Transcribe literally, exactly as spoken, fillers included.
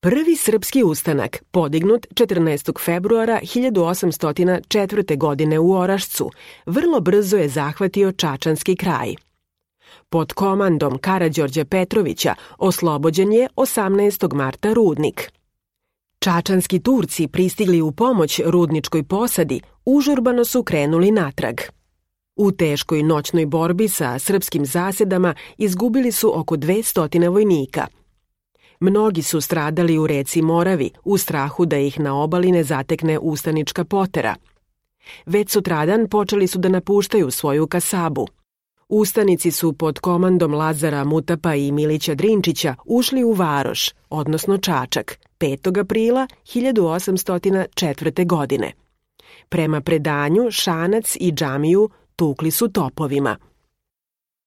Prvi srpski ustanak, podignut četrnaestog februara hiljadu osamsto četvrte. godine u Orašcu, vrlo brzo je zahvatio Čačanski kraj. Pod komandom Karađorđa Petrovića oslobođen je osamnaestog marta Rudnik. Čačanski Turci pristigli u pomoć rudničkoj posadi, užurbano su krenuli natrag. U teškoj noćnoj borbi sa srpskim zasedama izgubili su oko dvesta vojnika. Mnogi su stradali u reci Moravi u strahu da ih na obali ne zatekne ustanička potera. Već sutradan počeli su da napuštaju svoju kasabu. Ustanici su pod komandom Lazara Mutapa i Milića Drinčića ušli u Varoš, odnosno Čačak, petog aprila hiljadu osamsto četvrte. godine. Prema predanju Šanac i džamiju tukli su topovima.